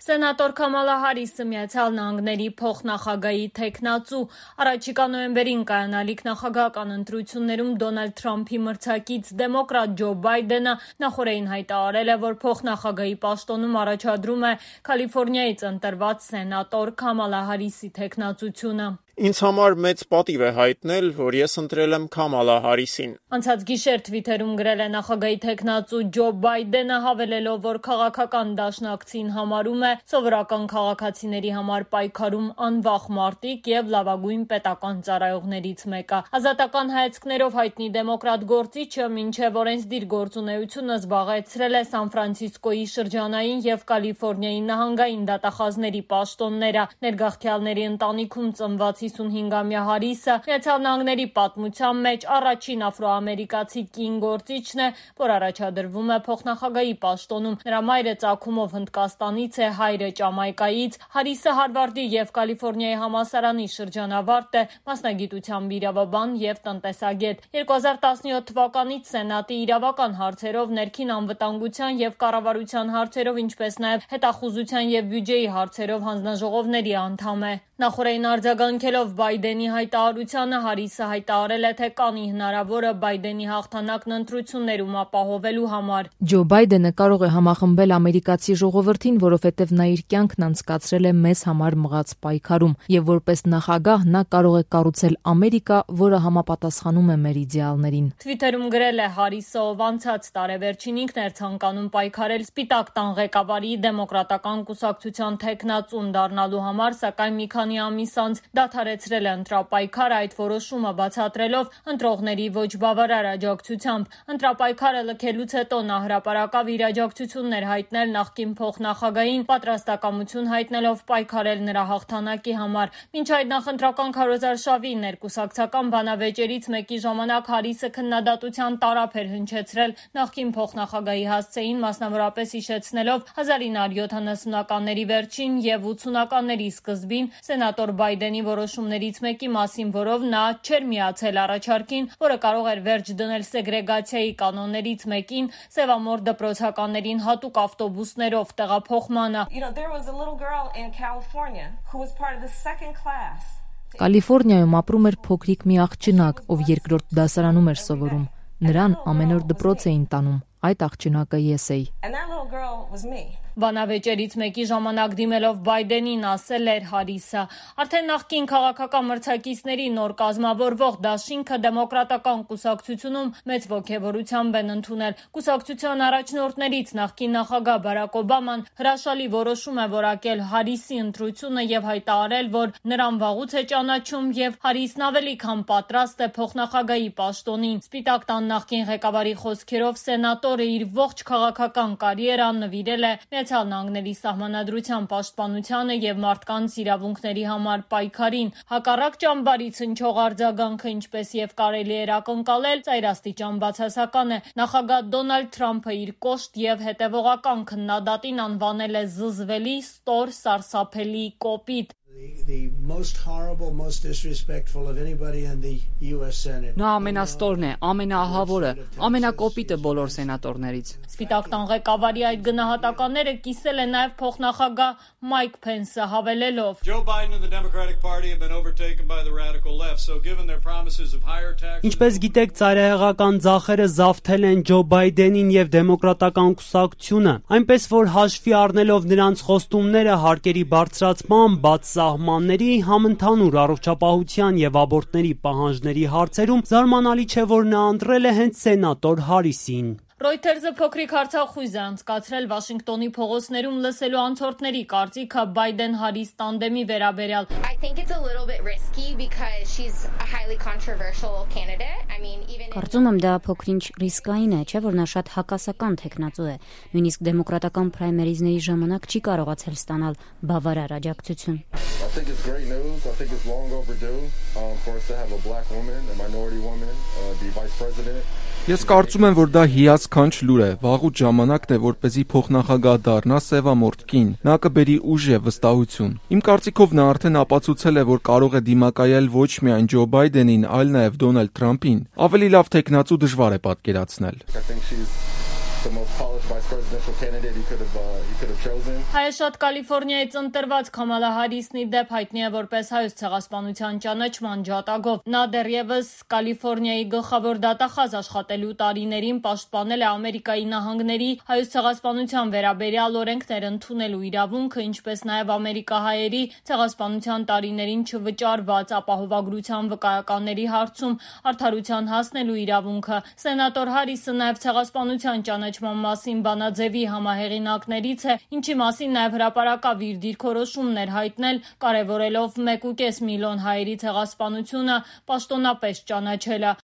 Սենատոր Քամալա Հարիսը Միացյալ Նահանգների փոխնախագահի թեկնածու առաջիկա նոյեմբերին կայանալիք նախագահական ընտրություններում Դոնալդ Թրամփի մրցակից դեմոկրատ Ջո Բայդենը նախորդին հայտարարել է, որ փոխնախագահի պաշտոնում առաջադրում է Կալիֆոռնիայից ընտրված սենատոր Քամալա Հարիսի թեկնածությունը։ Ինձ համար մեծ պատիվ է հայտնել, որ ես ընտրել եմ Քամալա Հարիսին։ Անցած գիշեր Թվիթերում գրել է նախագահի թեկնածու Ջո Բայդենը, հավելելով, որ քաղաքական դաշնակցին համարում է սովորական քաղաքացիների համար պայքարում անվախ մարտիկ եւ լավագույն պետական ծառայողներից մեկը։ Ազատական հայացքներով հայտնի դեմոկրատ գործիչը մինչև օրենսդիր գործունեությունը զբաղեցրել է Սան Ֆրանցիսկոյի շրջանային եւ Կալիֆոռնիայի նահանգային դատախազների պաշտոնները։ Ներգաղթյալների ընտանիքում ծնված 55-ամյա Հարիսը Միացյալ Նահանգների պատմության մեջ առաջին աֆրոամերիկացի կին գործիչն է, որ առաջադրվում է փոխնախագահի պաշտոնում։ Նրա մայրը ծագումով Հնդկաստանից է, հայրը Ճամայկայից։ Հարիսը Հարվարդի եւ Կալիֆոռնիայի համալսարանի շրջանավարտ է, մասնագիտությամբ իրավաբան եւ տնտեսագետ։ 2017 թվականից Սենատի իրավական հարցերով, ներքին անվտանգության եւ կառավարության հարցերով, ինչպես նաեւ հետախուզության եւ բյուջեի հարցերով հանձնաժողովների անդամ է։ Նախորդին արձագանքելով Բայդենի հայտարարությանը, Հարիսը հայտարարել է, թե կանի հնարավորը Բայդենի հաղթանակն ընտրություններում ապահովելու համար։ Ջո Բայդենը կարող է համախմբել ամերիկացի ժողովրդին, որովհետև նա իր կյանքն անցկացրել է մեզ համար մղած պայքարում, եւ որպես նախագահ նա կարող է կառուցել Ամերիկա, որը համապատասխանում է մեր իդեալներին։ Թվիթերում գրել է Հարիսը, ով անցած տարեվերջին ինքն էր ցանկանում պայքարել Սպիտակ տան ղեկավարի դեմոկրատական կուսակցության թեկնածուն դառնալու համար, սակայն մի քանի ամիս անց դադարեցրել է ընտրապայքարը, այդ որոշումը բացատրելով ընտրողների ոչ բավարար աջակցությամբ։ Ընտրապայքարը լքելուց հետո նա հրապարակավ իր աջակցություններ հայտնել նախկին փոխնախագահին, պատրաստակամություն հայտնելով պայքարել նրա հաղթանակի համար։ Մինչ այդ նախընտրական քարոզարշավի ներկուսակցական բանավեճերից մեկի ժամանակ Հարիսը քննադատության տարափ էր հնչեցրել նախկին փոխնախագահի հասցեին, մասնավորապես հիշեցնելով 1970-ականների վերջին եւ 80-ականների սկզբին սենատոր Բայդենի որոշումներից մեկի մասին, որով նա չէր միացել առաջարկին, որը կարող էր վերջ դնել սեգրեգացիայի կանոններից մեկին, սևամոր դպրոցականներին հատուկ ավտոբուսներով տեղափոխմանը։ Կալիֆոռնիայում ապրում էր փոքրիկ մի աղջնակ, ով երկրորդ դասարանում էր սովորում։ Նրան ամեն օր դպրոց էին տանում։ Այդ աղջնակը ես էի։ Բանավեճերից մեկի ժամանակ դիմելով Բայդենին ասել էր Հարիսը. արդեն նախկին քաղաքական մրցակիցների նոր կազմավորվող դաշինքը դեմոկրատական կուսակցությունում մեծ ոգևորությամբ են ընդունել։ Կուսակցության առաջնորդներից նախկին նախագահ Բարակ Օբաման հրաշալի որոշում է որակել Հարիսի ընտրությունը եւ հայտարարել, որ նրան վաղուց է ճանաչում եւ Հարիսն ավելի քան պատրաստ է փոխնախագահի պաշտոնին։ Սպիտակ տան նախկին ղեկավարի խոսքերով սենատորը իր ողջ քաղաքական կարիերան նվիրել է Միացյալ Նահանգների սահմանադրության պաշտպանությանը եւ մարդկանց իրավունքների համար պայքարին։ Հակառակ ճամբարից հնչող արձագանքը, ինչպես եւ կարելի էր ակնկալել, ծայրաստիճան բացասական է։ Նախագահ Դոնալդ Թրամփը իր կոշտ եւ հետեւողական քննադատին անվանել է զզվելի, ստոր, սարսափելի, կոպիտ։ Նա ամենաստորն է, ամենաահավորը, ամենակոպիտը բոլոր սենատորներից։ Սպիտակ տան ղեկավարի այդ գնահատականները կիսել է նաև փոխնախագահ Մայք Փենսը, հավելելով. Ինչպես գիտեք, ծայրահեղական ձախերը զավթել են Ջո Բայդենին եւ դեմոկրատական կուսակցությունը, այնպես որ հաշվի առնելով նրանց խոստումները հարկերի բարձրացման, բաց սահմանների, համընդհանուր առողջապահության եւ աբորտների պահանջների հարցերում զարմանալի չէ, որ նա ընտրել է հենց սենատոր Հարիսին։ Reuters-ը փոքրիկ հարցախույզ է անցկացրել Վաշինգտոնի փողոցներում լսելու անցորդների կարծիքը Բայդեն-Հարիս տանդեմի վերաբերյալ։ Կարծում եմ դա փոքրինչ ռիսկային է, չէ՞ որ նա շատ հակասական թեկնածու է։ Նույնիսկ դեմոկրատական պրայմերիզների ժամանակ չի կարողացել ստանալ բավարար աջակցություն։ Ես կարծում եմ, որ դա հիասքանչ լուր է, վաղուց ժամանակն է, որպեսզի փոխնախագահ դառնա սևամորթ կին, նա կբերի ուժ եւ վստահություն։ Իմ կարծիքով նա արդեն ապացուցել է, որ կարող է դիմակայել ոչ միայն Ջո Բայդենին, այլ նաեւ Դոնալդ Թրամփին։ Ավելի լավ թեկնածու դժվար է պատկերացնել։ Հայաշատ Կալիֆոռնիայից ընտրված Քամալա Հարիսն ի դեպ հայտնի է որպես հայոց ցեղասպանության ճանաչման ջատագով։ Նա դեռևս Կալիֆոռնիայի գլխավոր դատախազ աշխատելու տարիներին պաշտպանել է Ամերիկայի Նահանգների հայոց ցեղասպանության վերաբերյալ օրենքներ ընդունելու իրավունքը, ինչպես նաև ամերիկահայերի ցեղասպանության տարիներին չվճարված ապահովագրության վկայականների հարցում արդարության հասնելու իրավունքը։ Սենատոր Հարիսը նաև ցեղասպանության ճանաչման մասին բանաձևի համահեղինակներից է, ինչի մասին նաև հրապարակավ իր դիրքորոշումներ հայտնել, կարևորելով 1.5 միլիոն հայերի ցեղասպանությունը պաշտոնապես ճանաչելը։